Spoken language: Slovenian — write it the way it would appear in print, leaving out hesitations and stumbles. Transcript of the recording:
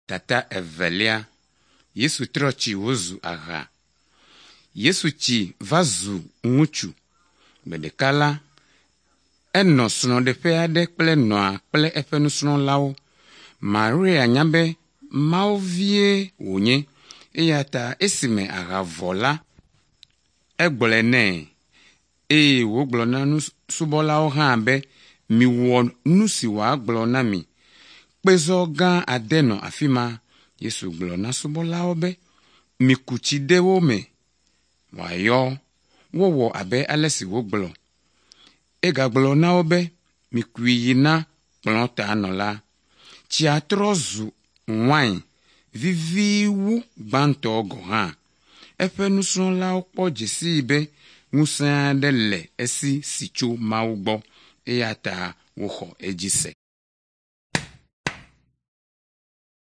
Tata evelia, Yesu trochi wozu agha. Yesu chi vazu ŋutsu. Bedekala, eno srɔ̃ɖeƒe aɖe kple nɔa kple eƒe nusrɔ̃lawo. Maria nya be Mawu vie wònye, eya ta esime agha vɔ la, egblɔe nɛ, eye wògblɔ na nusubɔlawo hã be miwɔ nu si wòagblɔ na mi. Kpezɔ gã ade nɔ afi ma. Yesu gblɔ na subɔlawo be miku tsi de wo me wòayɔ, wowɔ abe ale si wògblɔ. Egagblɔ na wo be mikui yi na kplɔ̃ ta nɔla. Tsia trɔ zu wain viviwu gbãtɔ gɔ̃ hã. Eƒe nusrɔ̃lawo kpɔ dzesii be ŋusẽ aɖe le esi si tso Mawu gbɔ, eya ta woxɔ edzi se.